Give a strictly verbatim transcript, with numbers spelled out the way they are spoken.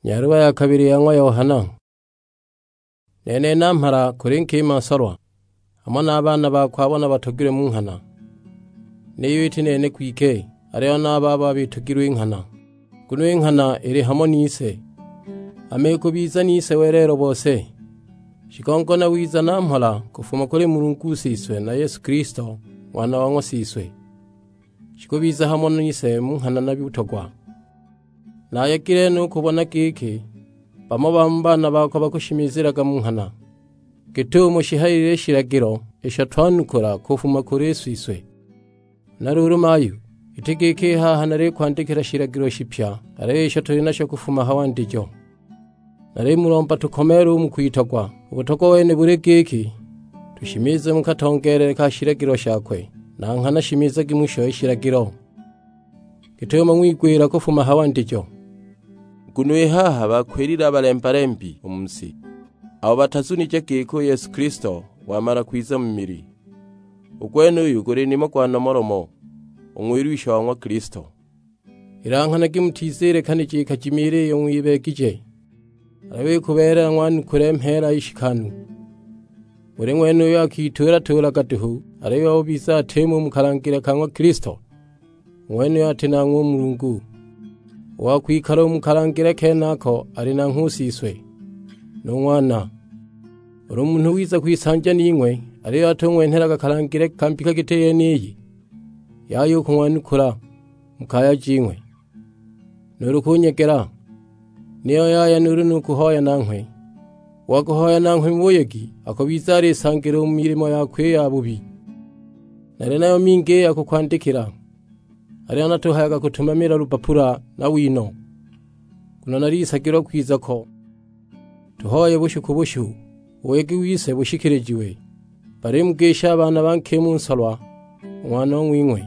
Nyaluba ya kabili ya ng'wa Yohana. Nene namhala kuli nkima nsolwa, hamo na a baana bakwe abo nabatogilwe mu nghana. Niyo iti nene kwike, aliyo na a babo abitogilwe i nghana, nguno i nghana ili hamo nise. Hama ikubiza nise welelo bose, shigongo na wiza na mhola kufuma kuli Mulungu Siswe na Yesu Kilisto, Ng'wana wa ng'wa Siswe, shikubiza hamo nise mu nghana na butogwa. Nayegile no u kubona giki bamo ba mu baana bakwe bakushimizilaga mu nghana, git'umo shihayilile i shilagilo isho twanukula kufuma kuli Siswe. Na luulu mayu, iti giki i haha nalikwandikila shilagilo shipya, aliyo isho tuli nasho kufuma ha wandijo. Nalimulomba tukomeele u mu kwitogwa. U butogwa wene buli giki, tushimize mu katongeelele ka shilagilo shakwe, na nghana shimizagi musho i shilagilo, git'umo ng'wigwila kufuma ha wandijo. Nguno i haha bakwilile a balemba-lembi u mu si, abo batazunije giki u Yesu Kilisto wamala kwiza mu mili. U gwenuyu guli nimo gwa nomolomo, u ng'wilwisha wa ng'wa Kilisto. Ilanghanagi mutizilekanije i kajimiila iyo ng'wibeegije, aliyo ikubeelela ng'wanukule mheela i shikanu. Buli ng'wene uyo akituula-tuulaga duhu, aliyo ubiza atimo u mu kalangile ka ng'wa Kilisto, u ng'wenuyo ati nanghwe u Mulungu. U wa kwikala u mu kalangile kenako ali nanghwe u Siswe, nu Ng'wana. Ulu munhu wiza kwisanja ning'we, aliyo atung'wenhelaga kalangile ka mbika giti yeniyi, yaya u kung'wanukula mu kaya jing'we, nuulu kunyegela, niyo yaya nuulu nu kuhoya nanghwe. U wa kuhoya nanghwe mu buyegi akubiza alisangile u mu milimo yakwe i yabubi. Nali nayo mingi i ya kukwandikila, aliyo natuhayaga kutumamila lubapula na wino, nguno nalisagilwa kwiza ko. Tuhoye bushu ku bushu, u buyegi wise bushikilijiwe. Balimugisha a baana ba nkima u nsolwa, u ng'wanong'wing'we.